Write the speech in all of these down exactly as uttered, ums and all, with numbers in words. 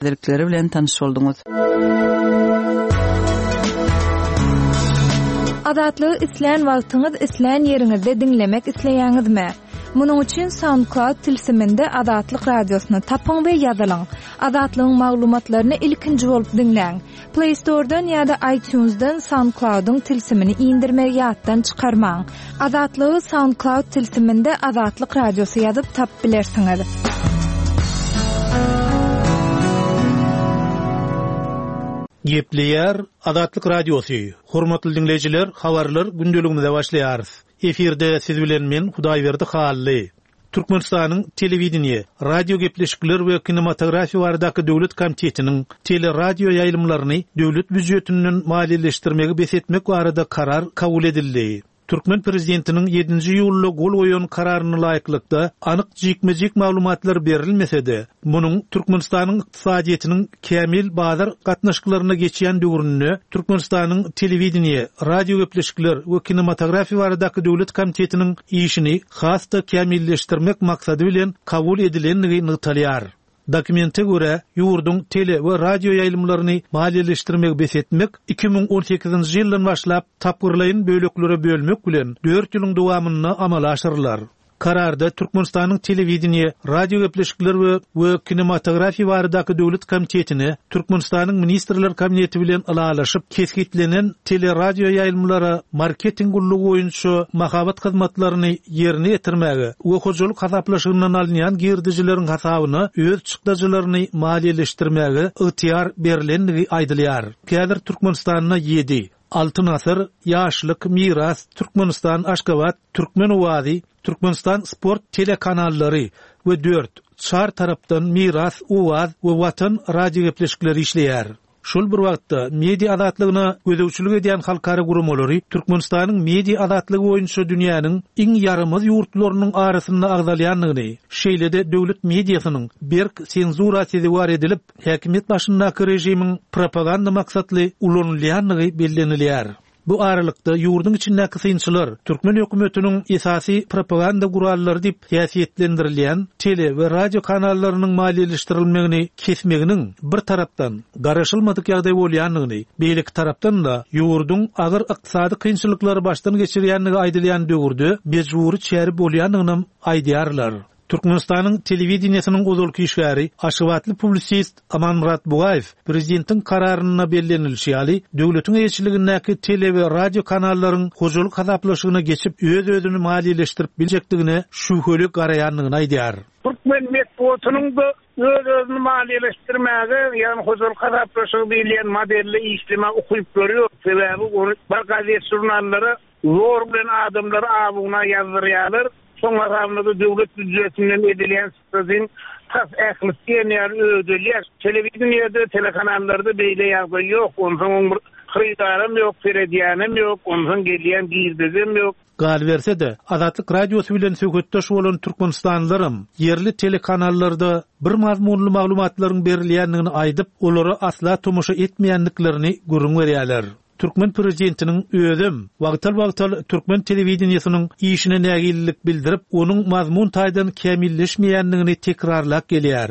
Täzelikleri bilen tanyş bolduňyz. Azatlygy islän wagtyňyz, islän ýeriňizde diňlemek isleýäňizmi? Munuň üçin SoundCloud tilsiminde Azatlyk radiosyny tapyň we ýazylyň. Azatlygyň maglumatlaryny ilkinji bolup diňläň. Play Store'dan ýa-da iTunes'dan SoundCloud'yň tilsimini indirmegi ýatdan çykarmaň. Azatlygy SoundCloud tilsiminde Azatlyk radiosy ýazyp tapyp bilersiňiz. Gepleýär Azatlyk Radiosy. Hormatly diňleýjiler, habarlar gündeligimize başlaýarys. Efirde siz bilen men Hudaýberdi Hally. Türkmenistanyň telewideniýe, radio gepleşikler we kinematografiýa baradaky döwlet komitetiniň teleradio ýaýlymlaryny döwlet býujetinden maliýeleşdirmegi bes etmek barada karar kabul edildi. Türkmen prezidentiniň ýedinji iýulda gol goýan kararyna laýyklykda anyk jikme-jik maglumatlar berilmese-de, munuň Türkmenistanyň ykdysadyýetiniň kämil bazar gatnaşyklaryna geçýän döwründe Türkmenistanyň telewideniýe, radio gepleşikler we kinematografiýa baradaky döwlet komitetiniň işini has-da kämilleşdirmek maksady bilen kabul edilendigi nygtalýar. Dokumente görä, ýurduň tele we radio ýaýlymlaryny maliýeleşdirmegi bes etmek iki müň on sekizinji ýyldan başlap tapgyrlaýyn böleklere bölmek bilen dört ýylyň dowamynda amala aşyrylar. Kararda Türkmenistanyň telewideniýe, radio gepleşikler we we kinematografiýa baradaky döwlet komitetine Türkmenistanyň Ministrler Kabineti bilen ylalaşyp kesgitlenen teleradio ýaýlymlara marketing gullugy boýunça mahabat hyzmatlaryny ýerine ýetirmäge we hojalyk hasaplaşygyndan alynýan girdejileriň hasabyna öz çykdajylaryny maliýeleşdirmäge ygtyýar berilendigi aýdylýar. Häzir Türkmenistanda ýedi, Altyn asyr, Ýaşlyk, Miras, Türkmenistan, Aşgabat, Türkmen owazy, Türkmenistan sport telekanallary we dört, Çar tarapdan, Miras, Owaz we Watan radio gepleşikleri işleýär. Şol bir wagtda media azatlygyna gözegçilik edýän halkara guramalary Türkmenistanyň media azatlygy boýunça dünýäniň iň ýaramaz ýurtlarynyň arasynda agzalýandygyny, şeýle-de döwlet mediasynyň berk senzura sezewar edilip, häkimiýet başyndaky režimiň propaganda maksatly ulanylýandygy bellenilýär. Bu aralykda ýurduň içindäki synçylar türkmen hökümetiniň esasy propaganda gurallary diýip häsiýetlendirilýän tele we radio kanallarynyň maliýeleşdirilmegini kesmeginiň bir tarapdan garaşylmadyk ýagdaý bolýandygyny, beýleki tarapdan-da ýurduň agyr ykdysady kynçylyklary başdan geçirýändigi aýdylýan döwürde mejbury çäre bolýandygynam aýdýarlar. Türkmenistanyň telewideniýesiniň ozalky işgäri, aşgabatly publisist Amanmyrat Bugaýew prezidentiň kararynda bellenilişi ýaly, döwletiň eýeçiligindäki tele we radio kanallaryň hojalyk hasaplaşygyna geçip öz-özüni maliýeleşdirip biljekdigine şübheli garaýandygyny aýdýar. Türkmen metbugatynyň da öz-özüni maliýeleşdirmäge, ýagny hojalyk hasaplaşygy diýilýän modelde işleme ukyplary ýok. Sebäbi ony bir gazet žurnallara zor bilen adamlary abuna ýazdyrýarlar. Soň hasabynda döwlet býujetinden edilýän çykdajyň tas ählisi diýen ýaly ödelýär. Telewideniýede, telekanallarda beýle ýagdaý ýok. Onsoň bir hyrydaram ýok, seredýänem ýok, onsoň gelýän girdejem ýok. Galyberse-de, Azatlyk radiosy bilen söhbetdeş bolan türkmenistanlylaram ýerli telekanallarda bir mazmunly maglumatlaryň berilýändigini aýdyp, olara asla tomaşa etmeýändiklerini gürrüň berýärler. Türkmen prezidentiniň özem wagtal-wagtal türkmen telewideniýesiniň işine nägillik bildirip, onuň mazmun taýdan kämilleşmeýändigini tekrarlap gelýär.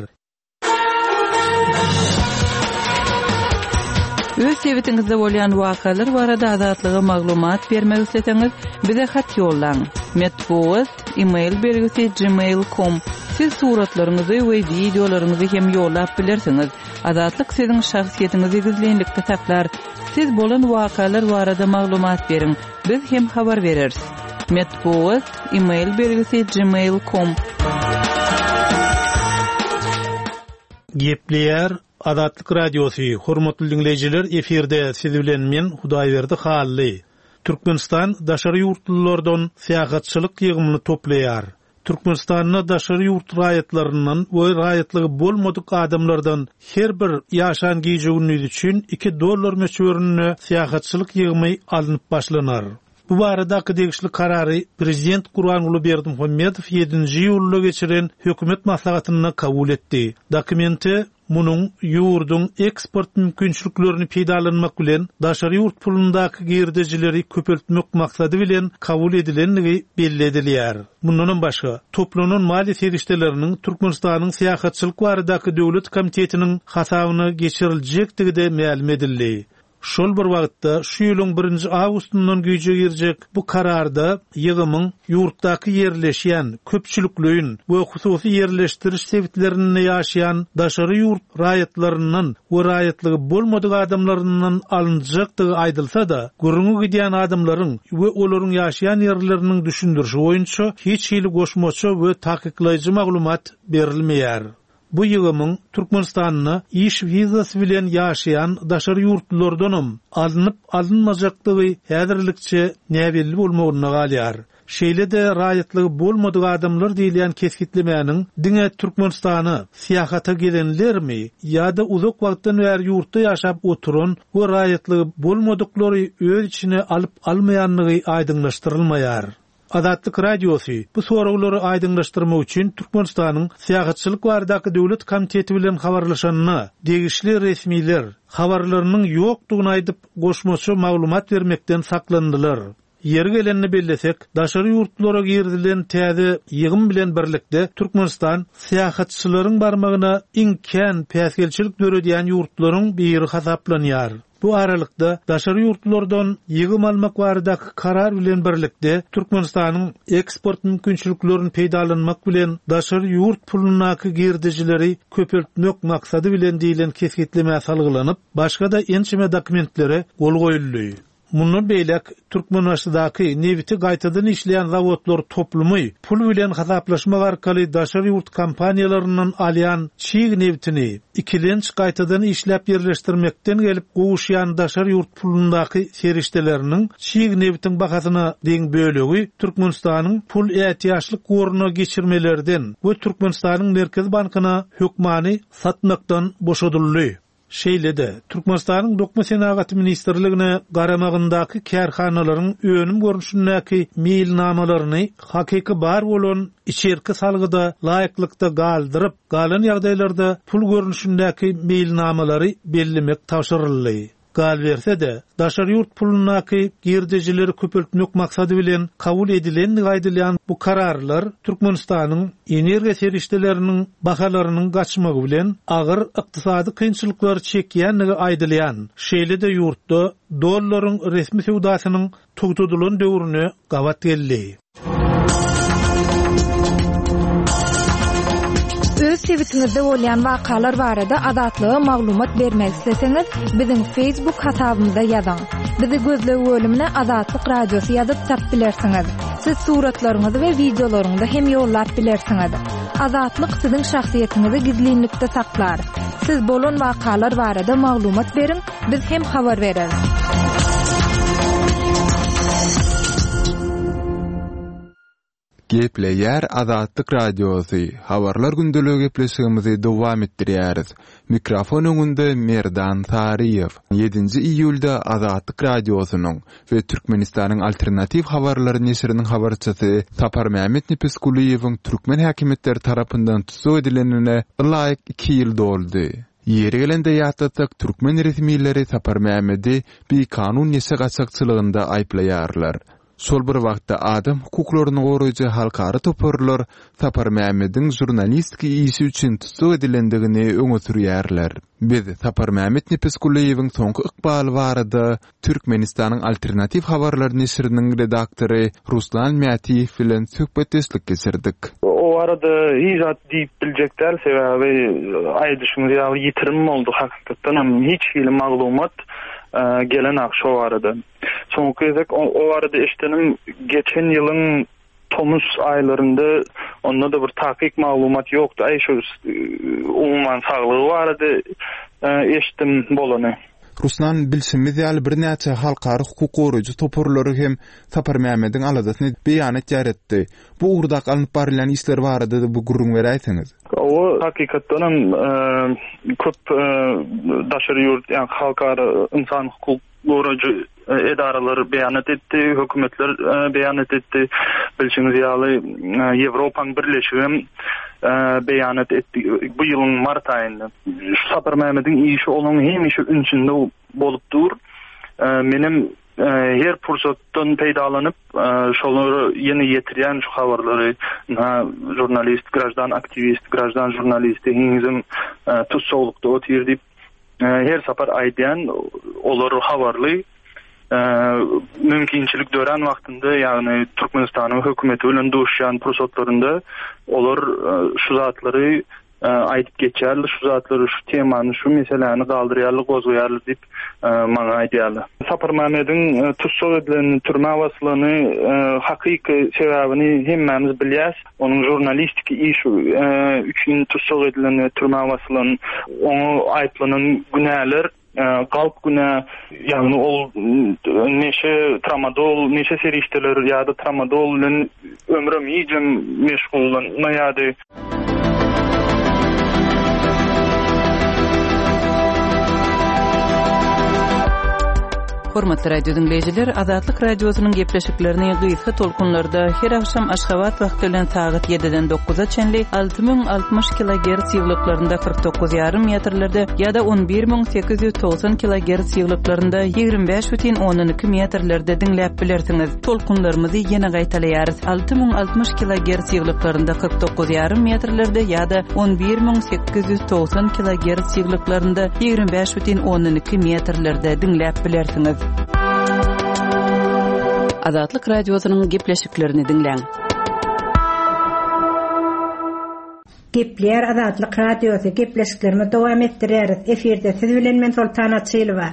Öz sebitiňizde bolýan wakalar barada Azatlyga maglumat bermek isleseňiz, bize hat ýollaň. Metbugat, e-mail belgisi gmail nokta com. Siz suratlaryňyzy we wideolaryňyzy hem ýollap bilersiňiz. Azatlyk siziň şahsyýetiňizi gizlinlikde saklar. Siz bolan wakalar barada maglumat beriň. Biz hem habar bereris. Metbugat, e-mail belgisi gmail nokta com. Gepleýär Azatlyk radiosy. Hormatly diňleýjiler, efirde siz bilen men Hudaýberdi Hally. Türkmenistan daşary ýurtlulardan syýahatçylyk ýygymyny toplaýar. Türkmenistanda daşary ýurt raýatlaryndan we raýatlygy bolmadyk adamlardan her bir ýaşan gije-gündiz üçin iki dollar möçberinde syýahatçylyk ýygymy alnyp başlanar. Bu baradaky degişli karary Prezident Gurbanguly Berdimuhamedow ýedinji iýulda geçiren hökümet maslahatynda kabul etdi. Dokumente munuň ýurduň eksport mümkinçiliklerini peýdalanmak bilen daşary ýurt pulundaky girdejileri köpeltmek maksady bilen kabul edilendigi belli edilýär. Mundanam başga, toplanan maliýe serişdeleriniň Türkmenistanyň Syýahatçylyk baradaky döwlet komitetiniň hasabyna geçiriljekdigi-de mälim edildi. Şol bir wagtda şu ýylyň birinji awgustyndan güýje girjek bu kararda ýygymyň ýurtdaky ýerleşýän köpçülikleýin we hususy ýerleşdiriş sebitlerinde ýaşaýan daşary ýurt raýatlaryndan we raýatlygy bolmadyk adamlaryndan alynjakdygy aýdylsa-da, gürrüňi gidýän adamlaryň we olaryň ýaşaýan ýerleriniň düşündirişi boýunça hiç hili goşmaça we takyklaýjy maglumat berilmeýär. Bu ýygymyň Türkmenistanda iş wizasy bilen ýaşaýan daşary ýurtlulardanam alnyp alynmajakdygy häzirlikçe näbelli bolmagynda galýar. Şeýle-de raýatlygy bolmadyk adamlar diýilýän kesgitlemäniň diňe Türkmenistana syýahata gelenlermi ýa-da uzak wagtdan bäri ýurtda ýaşap oturan we raýatlygy bolmadyklary öz içine alyp almaýandygy aýdyňlaşdyrylmaýar. Azatlyk Radiosy bu soraglary aýdyňlaşdyrmak üçin Türkmenistanyň Syýahatçylyk baradaky döwlet komiteti bilen habarlaşanyna degişli resmiler habarlarynyň ýokdugyny aýdyp goşmaça maglumat bermekden saklandylar. Ýeri gelenini bellesek, daşary ýurtlara girizilen täze ýygym bilen birlikde Türkmenistan syýahatçylaryň barmagyna iň kän päsgelçilik döredýän ýurtlaryň biri hasaplanýar. Bu aralykda daşary ýurtlardan ýygym almak baradaky karar bilen birlikde Türkmenistanyň eksport mümkinçiliklerini peýdalanmak bilen daşary ýurt pulundaky girdejileri köpeltmek maksady bilen diýilen kesgitlemä salgylanyp, başga-da ençeme dokumentlere gol goýuldy. Mundan beýläk Türkmenbaşydaky nebiti gaýtadan işleýän zawodlar toplumy pul bilen hasaplaşmak arkaly daşary ýurt kompaniýalaryndan alýan çig nebitini ikilenç gaýtadan işläp ýerleşdirmekden gelip gowuşýan daşary ýurt pulundaky serişdeleriniň çig nebitiň bahasyna deň bölegi Türkmenistanyň pul ätiýaçlyk goruna geçirmelerden we Türkmenistanyň Merkezi Bankyna hökmany satmakdan boşadyldy. Şeýle-de, Türkmenistanyň Dokma Senagaty Ministrligine garamagyndaky kärhanalaryň önüm görnüşindäki meýilnamalaryny hakyky bar bolan içerki salgyda laýyklykda galdyryp, galan ýagdaýlarda pul görnüşindäki meýilnamalary bellemek tabşyryldy. Galberse-de, daşary ýurt pulundaky girdejileri köpeltmek maksady bilen kabul edilendigi aýdylýan bu kararlar Türkmenistanyň energiýa serişdeleriniň bahalarynyň gaçmagy bilen agyr ykdysady kynçylyklary çekýändigi aýdylýan, şeýle-de ýurtda dollaryň resmi söwdasynyň togtadylan döwrüne gabat geldi. Öz sebitiňizde bolýan wakalar barada Azatlyga maglumat bermek isleseňiz, biziň Facebook hasabymyza ýazyň. Bizi gözleg bölümine Azatlyk Radiosy ýazyp tap bilersiňiz. Siz suratlaryňyzy we wideolaryňyzy hem ýollap bilersiňiz. Azatlyk siziň şahsyýetiňizi gizlinlikde saklar. Siz bolan wakalar barada maglumat beriň, biz hem habar bereris. Gepleýär Azatlyk Radiosy. Habarlar gündeligi gepleşigimizi dowam etdirýäris. Mikrofon öňünde Merdan Saryýew. Ýedinji iýulda Azatlyk Radiosynyň we Türkmenistanyň Alternatiw habarlary neşiriniň habarçysy Saparmämmet Nepesgulyýewiň türkmen häkimiýetleri tarapyndan tussag edilenine ylaýyk iki ýyl doldy. Ýeri gelende ýatlatsak, türkmen resmileri Saparmämmedi bikanun neşe gaçakçylygynda aýyplaýarlar. Şol bir wagtda adam hukuklaryny goraýjy halkara toparlar Saparmämmediň žurnalistik işi üçin tussag edilendigini öňe sürýärler. Biz Saparmämmet Nepesgulyýewiň soňky ykbaly barada Türkmenistanyň Alternatiw habarlar neşiriniň redaktory Ruslan Mätiýew bilen söhbetdeşlik geçirdik. O arada hiç zat diýip biljek däl, sebäbi aýdyşyňyz ýaly ýitirim boldy hakykatdan hem hiç hili maglumat, e, gelen ak şo arada. Soňky gezek o, o arada eşdenim geçen ýylyň tomus aýlarynda onda da bir takyk maglumat ýokdy. Aý şu, e, umuman saglygy barada, e, eşitdim bolany. Ruslan, bilşimiz ýaly birnäçe halkara hukuk goraýjy toparlary hem Saparmämmediň aladasyny beýan etýär etdi. Bu ugurdaky alnyp barylýan işler barada da bu gürrüň beräýseňiz. O hakykatdan hem, e, köp, e, daşary ýurt, ýa halkara insan hukuk goraýjy, edaralar beýanat etdi, hökümetler beýanat etdi. Bilşiňiz ýaly Ýewropaň Birleşigi hem beýanat etdi bu ýylyň mart aýynda. Şu Sapar Mehmediň işi onuň hemişe ünsünde bolup dur. Menem her pursatdan peýdalanyp şolary ýene ýetirýän şu habarlary ha žurnalist, graždan aktiwist, graždan žurnalisti henizem tussaglykda otyr diýip her sapar aýdýan olar habarly mümkinçilik dörän wagtynda ýagny Türkmenistanyň hökümeti bilen duşýan pursatlarynda olar şu zatlary aýdyp geçýärler, şu zatlary, şu temany, şu meseläni galdyrýarlar, gozgaýarlar diýip maňa aýdýarlar. Sapar Mehmediň tussag edilen türmä basylany hakyky sebäbini hemmämiz bilýäs. Onuň žurnalistiki işi üçin tussag edilen türmä basylan, oňa aýyplanan günäler galp günä, ýagny ol neşe, tramadol, neşe serişdeleri ýa-da tramadol bilen ömrüm hijem meşgullanmaýardy. Hormatly radio dinleýjiler, Azatlyk radiosynyň gepleşiklerini gysga tolkunlarda her akşam Aşgabat wagty bilen sagat ýediden dokuza çenli alty müň altmyş kilogertz ýyglyklarynda kyrk dokuz ýarym metrlerde ýa-da on bir müň sekiz ýüz togsan kilogertz ýyglyklarynda ýigrimi bäş bütin ondan iki metrlerde diňläp bilersiňiz. Tolkunlarymyzy ýene gaýtalaýarys. Alty müň altmyş kilogertz ýyglyklarynda kyrk dokuz ýarym metrlerde ýa-da on bir müň sekiz ýüz togsan kilogertz ýyglyklarynda ýigrimi bäş bütin ondan iki metrlerde diňläp bilersiňiz. Azatlyk radiosynyň gepleşiklerini diňläň. Gepleýär Azatlyk radiosy gepleşiklerimizi dowam etdirýäris. Efirde siz bilen men Soltan Açylowa.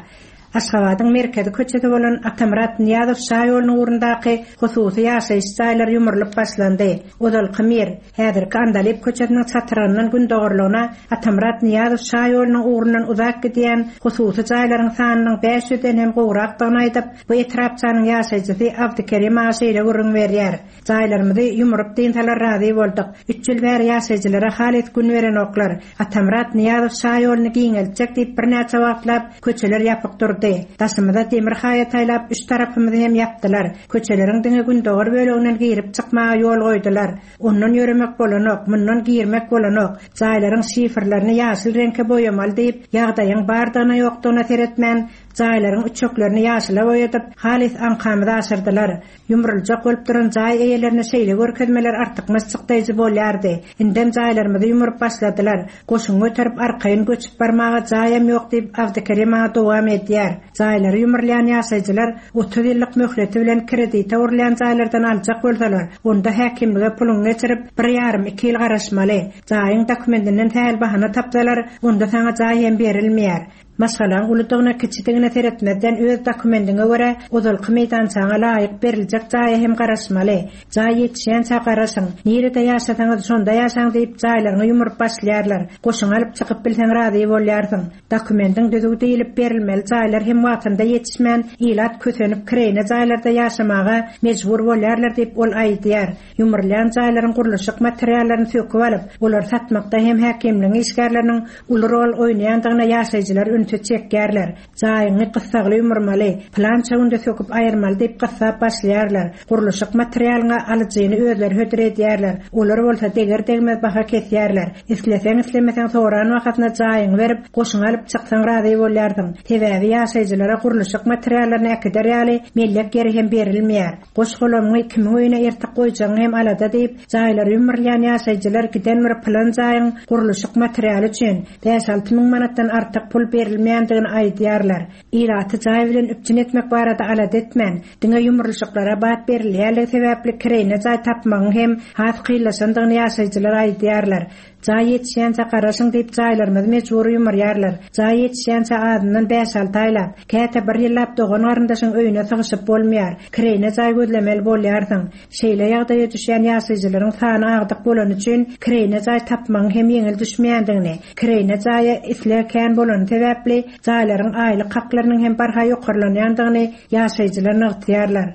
Aşgabadyň merkezi köçesi bolan Atamyrat Nyýazow şaýolunyň ugrundaky hususy ýaşaýyş jaýlary ýumrulyp başlandy. Ozalky Mir, häzirki Andalyp köçesiniň çatyryndan gündogurlygyna Atamyrat Nyýazow şaýolunyň ugrundan uzak gidýän hususy jaýlaryň sanynyň bäş ýüzden hem gowrakdygyny aýdyp, bu etrapçanyň ýaşaýjysy Abdykerim aga şeýle gürrüň berýär. Jaýlarymyzy ýumrup diýinsalar razy bolduk. Üç ýyl bäri ýaşaýjylara halis gün berenoklar. Atamyrat Nyýazow şaýoluny giňeltjek diýip birnäçe wagtlap köçeler ýapyk durdy. Daşymyza demir haýat aýlap üç tarapymyzy hem ýapdylar. Köçeleriň diňe gündogar böleginden girip çykmaga ýol goýdular. Ondan ýöremek bolanok, mundan girmek bolanok. Jaýlaryň şifrlerini ýaşyl reňke boýamaly diýip, ýagdaýyň bardygyna ýokdugyna seretmän, jaýlaryň üçeklerini ýaşyla boýadyp, halis aňkamyzy aşyrdylar. Ýumruljak bolup duran jaý eýelerine şeýle görkezmeler artykmaç çykdaýjy bolýardy. Indem jaýlarymyzy ýumuryp başladylar. Goşun göterip arkaýyn göçüp barmaga jaýam ýok diýip Abdykerim aga dowam edýär. Jaýlary ýumurlaýan ýaşaýjylar otuz ýyllyk möhleti bilen kredite urulýan jaýlardan aljak bolsalar, onda häkimlige puluny geçirip bir ýarym iki ýyl garaşmaly. Jaýyň dokumentinden sähel bahana tapsalar, onda saňa jaý hem berilmeýär. Maşgalaň uludygyna kiçidigine seretmezden öz dokumentiňe görä ozalky meýdançaňa laýyk beriljek jaýa hem garaşmaly. Jaý ýetişýänçä garaşyň. Nirede ýaşasaňyz şonda ýaşaň diýip jaýlaryňy ýumuryp başlaýarlar. Goşuň alyp çykyp bilseň razy bolýarsyň. Dokumentiň düzüw diýilip berilmeli jaýlar hem wagtynda ýetişmän, ilat kösenip kireýne jaýlarda ýaşamaga mejbur bolýarlar diýip ol aýdýar. Ýumurlaýan jaýlaryň gurluşyk materiallaryny söküp alyp, olar satmakda hem häkimligiň işgärleriniň uly rol oýnaýandygyna ýaşaýjylar ünsi çekýärler. Jaýyňy gyssagly ýumurmaly, plança günde söküp aýyrmaly diýip gyssap başlaýarlar. Gurluşyk materialyna alyjyny özleri hödür edýärler. Olar bolsa deger degmez baha kesýärler. Isleseň islemeseň soran wagtynda jaýyňy berip, goşuňy alyp çyksaň razy bolýarsyň. Sebäbi ýaşaýjylara gurluşyk materiallaryny äkider ýaly mellek ýeri hem berilmeýär. Goş golamyňy kimiň öýüne ertik goýjagyň hem alada diýip, jaýlary ýumurlaýan ýaşaýjylar giden bir plan jaýyň gurluşyk materialy üçin bäş alty müň manatdan artyk pul berilmeýändigini aýdýarlar. Ilaty jaý bilen üpjün etmek barada alada etmän, diňe ýumurlyşyklara bat berilýärligi sebäpli kireýne jaý tapmagyň hem has kynlaşandygyny ýaşaýjylar aýdýarlar. Jaý ýetişýänçä garaşyň diýip jaýlarymyzy mejbur ýumurýarlar. Jaý ýetişýänçä azyndan bäş alty aýlap, käte bir ýyllap dogan garyndaşyň öýüne sygyşyp bolmaýar. Kireýne jaý gözlemeli bolýarsyň. Şeýle ýagdaýa düşýän ýaşaýjylaryň sany agdyk bolany üçin kireýne jaý tapmagyň hem ýeňil düşmeýändigini, kireýne jaýa isleg kän bolany sebäpli jaýlaryň aýlyk haklarynyň hem barha ýokarlanýandygyny ýaşaýjylar nygtaýarlar.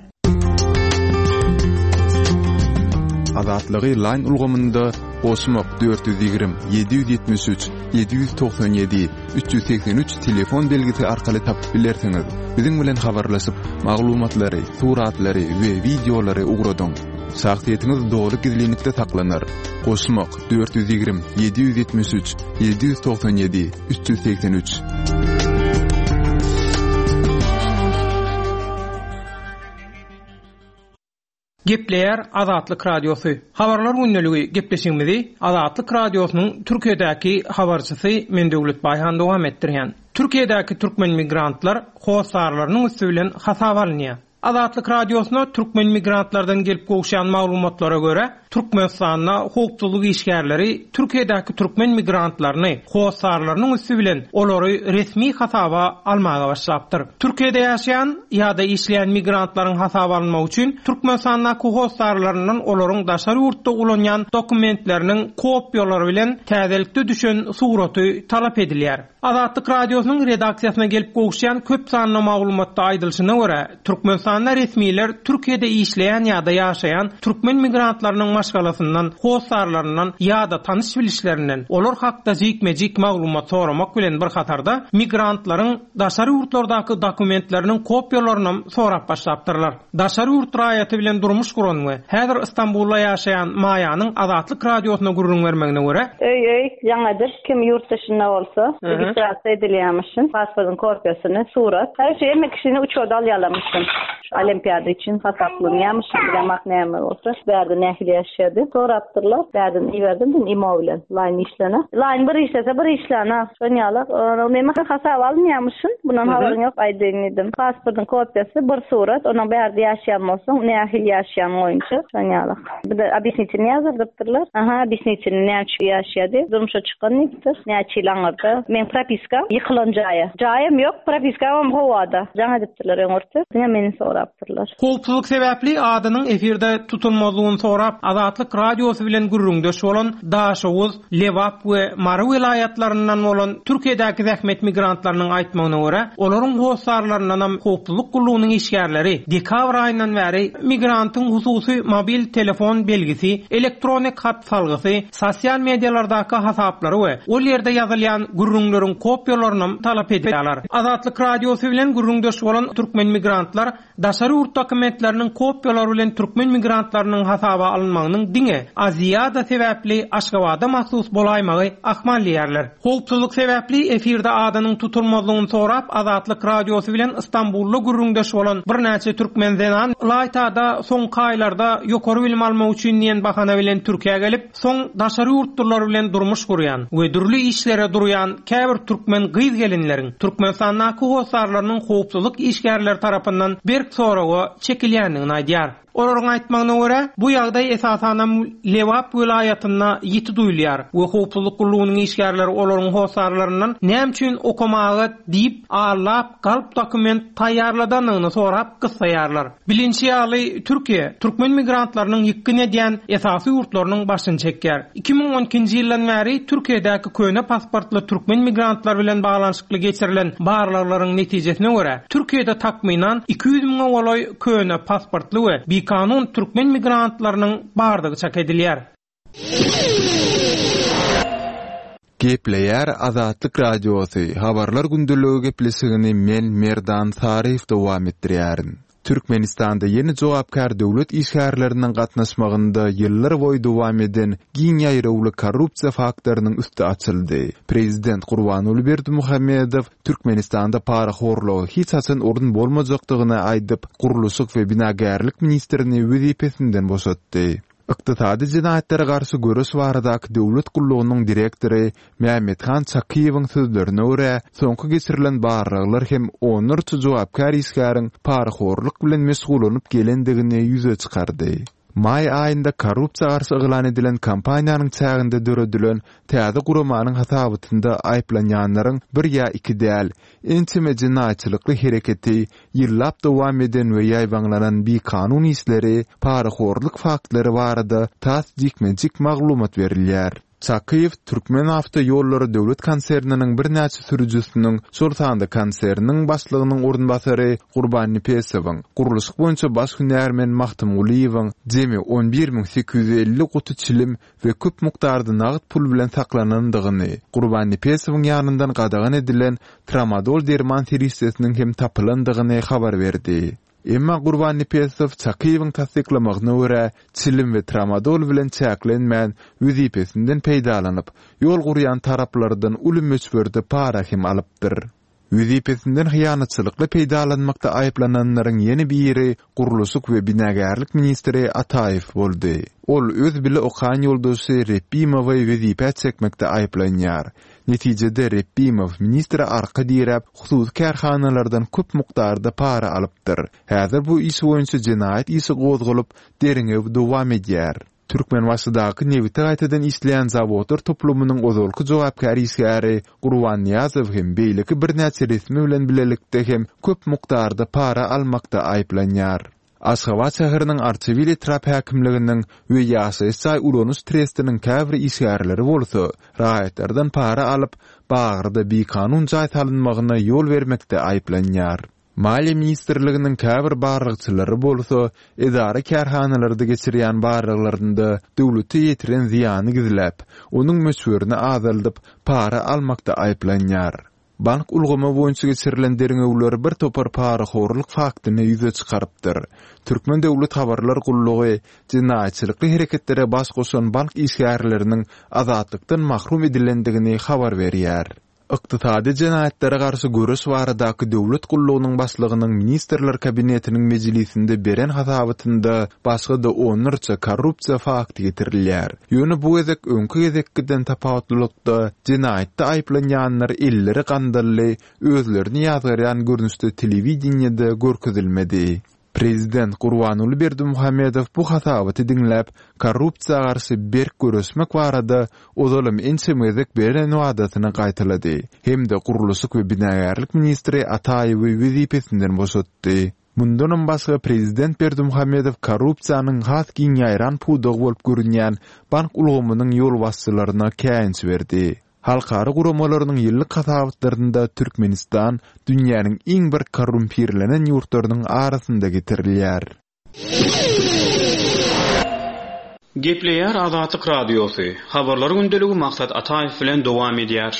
Azatlygy line ulgamynda goşmak dört ýüz ýigrimi, ýedi ýüz ýetmiş üç, ýedi ýüz togsan ýedi, üç ýüz segsen üç telefon belgisi arkaly tapyp bilersiňiz. Biziň bilen habarlaşyp, maglumatlary, suratlary we wideolary ugradyň. Şahsyýetiňiz doly gizlinlikde saklanar. Goşmak, dört ýüz ýigrimi, ýedi ýüz ýetmiş üç, ýedi ýüz togsan ýedi, üç ýüz segsen üç. Gepleýär Azatlyk Radiosy. Habarlar gündeligi gepleşigimizi Azatlyk Radiosynyň Türkiýedäki habarçysy men Döwlet Baýhan dowam etdirýän. Türkiýedäki türkmen migrantlar hossarlarynyň üsti bilen hasaba alynýar. Azatlyk Radiosyna türkmen migrantlardan gelip gowşan maglumatlara görä, Türkmenistanda howpsuzlyk işgärleri Türkiýedäki türkmen migrantlaryny hossarlarynyň üsti bilen olary resmi hasaba almaga başlapdyr. Türkiýede ýaşaýan ýa-da işleýän migrantlaryň hasaba alynmagy üçin Türkmenistandaky hossarlaryndan olaryň daşary ýurtda ulanýan dokumentleriniň kopýalary bilen täzelikde düşen suraty talap edilýär. Azatlyk Radiosynyň redaksiýasyna gelip gowuşýan köp sanly maglumatda aýdylyşyna görä, Türkmenistanda resmiler Türkiýede işleýän ýa-da ýaşaýan türkmen migrantlarynyň maşgalasyndan, hossarlaryndan ýa-da tanyş bilişlerinden olar hakda jikme-jik maglumat soramak bilen bir hatarda migrantlaryň daşary ýurtlardaky dokumentleriniň kopýalaryny sorap başlapdyrlar. Daşary ýurt raýaty bilen durmuş guran we häzir Istanbulda ýaşaýan Maýanyň Azatlyk Radiosyna gürrüň bermegine görä, Öý öý, ýaňadyr kim ýurt dışynda bolsa, registrasiýa edilýärmişin, pasportyň kopýasyny, surat. Her şey hemme kişini uçurda alýarlarmışyn. Olimpiada üçin hasaplanýarmyşyn, bilemak näme bolsa. Bärde nähili ýaşady. Sorapdyrlar. Bärden iberdim din imo bilen. Line işlene. Line bir işlese bir işlene. Şon ýaly, näme hasap alynýarmyşyn. Bundan habaryň ýok aýdyň diýdim. Pasportyň kopýasy, bir surat, onuň bärde ýaşaýan bolsaň, nähili ýaşaýan boýunça. Şon ýaly. Bir de obýasnitini ýazdyrdypdyrlar. Aha, obýasnitini näme üçin ýaşaýady? Durmuşa çykan diýipdir. Näçe ýyl aňyrda. Men propiska ýykylan jaýa. Jaýam ýok, propiskam howada. Jaň edipdirler öňürti. Diňe meni sorapdyrlar. Howpsuzlyk sebäpli adynyň efirde tutulmazlygyny sorap, Azatlyk Radiosy bilen gürrüňdeş bolan Daşoguz, Lebap we Mary welaýatlaryndan bolan Türkiýedäki zähmet migrantlarynyň aýtmagyna görä, olaryň hossarlaryndan hem howpsuzlyk gullugynyň işgärleri dekabr aýyndan bäri migrantyň hususy mobil telefon belgisi, elektronik hat salgysy, sosial medialardaky hasaplary we ol ýerde ýazylýan gürrüňleriň kopýalaryny talap edýärler. Azatlyk Radiosy bilen gürrüňdeş bolan türkmen migrantlar daşary ýurt dokumentleriniň kopýalary bilen türkmen migrantlarynyň hasaba alynmagynyň diňe Aziýada sebäpli Aşgabada mahsus bolaýmagy ahmal diýärler. Howpsuzlyk sebäpli efirde adynyň tutulmazlygyny sorap Azatlyk Radiosy bilen Istanbulda gürrüňdeş bolan birnäçe türkmen zenan Laýtada soňky aýlarda ýokary bilim almak üçin diýen bahana bilen Türkiýä gelip, soň daşary ýurtlular bilen durmuş gurýan we dürli işlere durýan käbir türkmen gyz gelinleriň Türkmenistandaky hossarlarynyň howpsuzlyk işgärleri tarapyndan berk soraga çekilýändigini aýdýar. Olaryň aýtmagyna görä, bu ýagdaý esasanam Lebap welaýatynda ýiti duýulýar we howpsuzlyk gullugynyň işgärleri olaryň hossarlaryndan näme üçin okamaga diýip allap galp dokument taýýarladandygyny sorap gyssaýarlar. Bilinçi ýaly Türkiýe türkmen migrantlarynyň ýykgyn edýän esasy ýurtlarynyň başyny çekýär. iki müň on ikinji ýyldan bäri Türkiýedäki köne pasportly türkmen migrantlar bilen baglanyşykly geçirilen barlaglaryň netijesine görä, Türkiýede takmynan iki ýüz müňe golaý köne pasportly we bikanun türkmen migrantlarynyň bardygy çak edilýär. Gepleýär Azatlyk Radiosy. Habarlar gündeligi gepleşigini men Merdan Saryýew dowam etdirýärin. Türkmenistanda ýene jogapkär döwlet işgärleriniň gatnaşmagynda ýyllar boýy dowam eden giň ýaýrawly korrupsiýa faktlarynyň üsti açyldy. Prezident Gurbanguly Berdimuhamedow Türkmenistanda parahorluga hiç haçan orun bolmajakdygyny aýdyp, gurluşyk we binagärlik ministrini wezipesinden boşatdy. Ykdysady jenaýatlara garşy göreş baradaky döwlet gullugynyň direktory Mehmethan Çakyýewiň sözlerine görä, soňky geçirilen barlaglar hem onlarça jogapkär işgäriň parahorluk bilen meşgullanyp gelendigini ýüze çykardy. Maý aýynda korrupsiýa garşy yglan edilen kampaniýanyň çäginde döredilen täze guramanyň hasabatynda aýyplanýanlaryň bir ýa iki däl, ençeme jenaýatçylykly hereketi, ýyllap dowam eden we ýaýbaňlanan bikanun işleri, parahorluk faktlary barada tas jikme-jik maglumat berilýär. Çakyýew Türkmenawtoýollary döwlet konserniniň birnäçe sürüjisiniň, şol sanda konserniň başlygynyň orunbasary Gurbannepesowyň, gurluşyk boýunça baş hünärmen Magtymgulyýewiň jemi on bir müň sekiz ýüz elli guty çilim we köp mukdarda nagt pul bilen saklanandygyny, Gurbannepesowyň ýanyndan gadagan edilen tramadol derman serişdesiniň hem tapylandygyny habar berdi. Emma Gurbannepesow Çakyýewiň tassyklamagyna görä, çilim we tramadol bilen çäklenmän, wezipesinden peýdalanyp, ýol gurýan taraplardan uly möçberde para hem alypdyr. Wezipesinden hyýanatçylykly peýdalanmakda aýyplananlaryň ýene biri gurluşyk we binagärlik ministri Ataýew boldy. Ol öz bile okan ýoldaşy Repbimowy wezipä çekmekde aýyplanýar. Netijede Repbimow ministre arka diräp, hususy kärhanalardan köp mukdarda para alypdyr. Häzir bu iş boýunça jenaýat işi gozgalyp, derňew dowam edýär. Türkmenbaşydaky nebiti gaýtadan işleýän zawodlar toplumynyň ozalky jogapkär işgäri Gurban Nyýazow hem beýleki birnäçe resmi bilen bilelikde hem köp mukdarda para almakda aýyplanýar. Aşgabat şäheriniň Arçabil etrap häkimliginiň we ýaşaýyş jaý ulanyş trestiniň käbir işgärleri bolsa, raýatlardan para alyp, Bagyrda bikanun jaý salynmagyna ýol bermekde aýyplanýar. Maliýe ministrliginiň käbir barlagçylary bolsa, edara-kärhanalarda geçirýän barlaglarynda döwlete ýetiren zyýany gizläp, onuň möçberini azaldyp, para almakda aýyplanýar. Bank ulgamy boýunça geçirilen derňewler bir topar parahorluk faktyny ýüze çykarypdyr. Türkmen döwlet habarlar gullugy jenaýatçylykly hereketlere baş goşan bank işgärleriniň azatlykdan mahrum edilendigini habar berýär. Ykdysady jenaýatlara garşy göreş baradaky döwlet gullugynyň başlygynyň Ministrler Kabinetiniň mejlisinde beren hasabatynda başga-da onlarça korrupsiýa fakty getirilýär. Ýöne bu gezek öňki gezekkiden tapawutlylykda jenaýatda aýyplanýanlar elleri gandally, özlerini ýazgarýan görnüşde telewideniýede görkezilmedi. Prezident Gurbanguly Berdimuhamedow bu hasabaty diňläp, korrupsiýa garşy berk göreşmek barada ozalam ençeme gezek beren wadasyny gaýtalady hem-de gurluşyk we binagärlik ministri Ataýewi wezipesinden boşatdy. Mundanam başga prezident Berdimuhamedow korrupsiýanyň has giň ýaýran pudagy bolup görünýän bank ulgamynyň ýolbaşçylaryna käýinç berdi. Halkara guramalarynyň ýyllyk hasabatlarynda Türkmenistan dünýäniň iň bir korrumpirlenen ýurtlarynyň arasynda getirilýär. Gepleýär Azatlyk Radiosy, Habarlar gündeligi Maksat Ataýew bilen dowam edýär.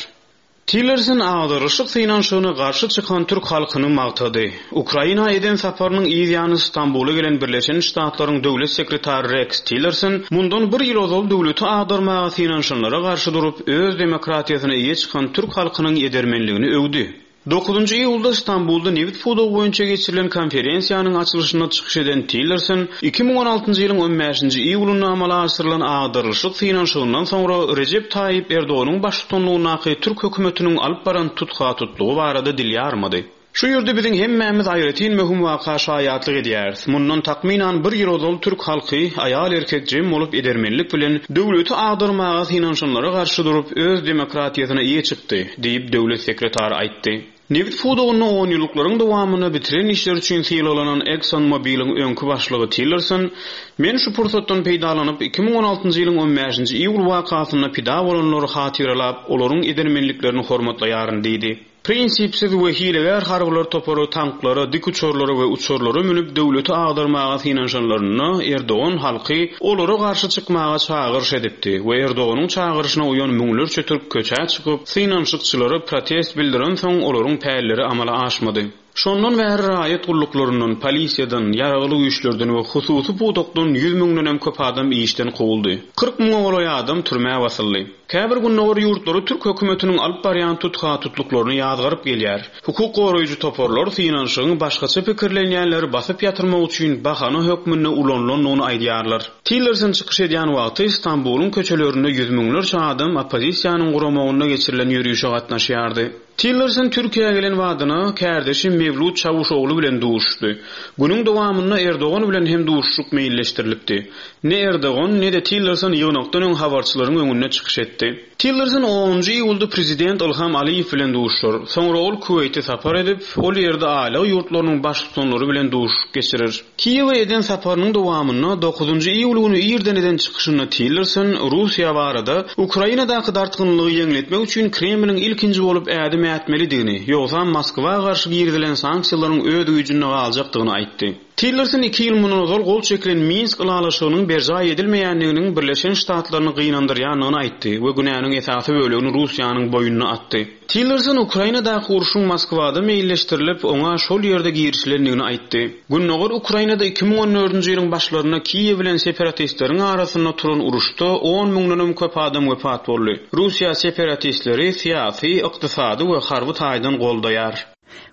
Tillerson agdarylyşyk synanyşygyna garşy çykan türk halkyny magtady. Ukraina eden saparynyň yz ýany Stambula gelen Birleşen Ştatlaryň döwlet sekretary Reks Tillerson mundan bir ýyl ozal döwleti agdarmaga synanyşanlara garşy durup, öz demokratiýasyna eýe çykan türk halkynyň edermenligini öwdi. Dokuzynjy iýulda Stambulda nebit pudagy boýunça geçirilen konferensiýanyň açylyşynda çykyş eden Tillerson iki müň on altynjy ýylyň on bäşinji iýulynda amala aşyrylan agdarylyşyk synanyşygyndan soňra Rejep Taýyp Erdoganyň baştutanlygyndaky türk hökümetiniň alyp baran tutha-tutlugy barada dil ýarmady. Şu ýerde biziň hemmämiz aýratyn möhüm waka şaýatlyk edýäris. Mundan takmynan bir ýyl ozal türk halky aýal-erkek jem bolup edermenlik bilen döwleti agdarmaga synanyşanlara garşy durup öz demokratiýasyna eýe çykdy, diýip döwlet sekretary aýtdy. Nebit pudagynda on ýyllyklaryň dowamynda bitiren işler üçin sylaglanan Exxon Mobil'iň öňki başlygy Tillerson, Men şu pursatdan peýdalanyp, iki müň on altynjy ýylyň on bäşinji iýul wakasynda pida bolanlary hatyralap, olaryň edermenliklerini hormatlaýaryn diýdi. Prinsipsiz we hilegär harbylar topary tanklara, dik uçarlara we uçarlara münüp döwleti agdarmaga synanyşanlarynda Erdogan halky olara garşy çykmaga çagyryş edipdi we Erdoganyň çagyryşyna uýan müňlerçe türk köçä çykyp, synanyşykçylara protest bildirensoň olaryň pälleri amala aşmady. Şondan bäri raýat gulluklaryndan, polisiýadan, ýaragly güýçlerden we hususy pudakdan ýüz müňdenem köp adam işden kowuldy. Kyrk müňe golaý adam türmä basyldy. Käbir gündogar ýurtlary türk hökümetiniň alyp barýan tutha-tutluklaryny ýazgaryp gelýär. Hukuk goraýjy toparlar synanyşygyň başgaça pikirlenýänleri basyp ýatyrmak üçin bahana hökmünde ulanylandygyny aýdýarlar. Tillerson çykyş edýän wagty Stambulyň köçelerinde ýüz müňlerçe adam oppozisiýanyň guramagynda geçirilen ýörişe gatnaşýardy. Tillerson Türkiýä gelen badyna kärdeşi Mewlut Çawuşoglu bilen duşuşdy. Günüň dowamynda Erdogan bilen hem duşuşyk meýilleşdirilipdi. Ne Erdogan, ne-de Tillerson ýygnakdan öň habarçylaryň öňünde çykyş etdi. Tillerson onunjy iýulda prezident Ilham Aliýew bilen duşuşar. Soňra ol Kuweýte sapar edip, ol ýerde aýlag ýurtlarynyň baştutanlary bilen duşuşyk geçirer. Kiýewe eden saparynyň dowamynda dokuzynjy iýul güni irden eden çykyşynda Tillerson Russiýa barada Ukrainadaky dartgynlygy ýeňletmek üçin Kremliň ilkinji bolup ädim ätmelidigini, ýogsam Moskwa garşy girizilen sanksiýalaryň öz güýjünde galjakdygyny aýtdy. Tillerson iki ýyl mundan ozal gol çekilen Minsk ylalaşygynyň berjaý edilmeýändiginiň Birleşen Ştatlaryny gynandyrýandygyny aýtdy we günäniň esasy bölegini Russiýanyň boýnuna atdy. Tillerson Ukrainadaky urşuň Moskwada meýilleşdirilip, oňa şol ýerde girişilendigini aýtdy. Gündogar Ukrainada iki müň on dördünji ýylyň başlarynda Kiýew bilen separatistleriň arasynda turan uruşda on müňdenem köp adam wepat boldy. Russiýa separatistleri syýasy, ykdysady we harby taýdan goldaýar.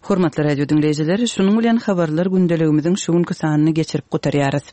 Hormatly radio diňleýjiler, şunuň bilen habarlar gündeligimiziň şu günki sanyny geçirip gutarýarys.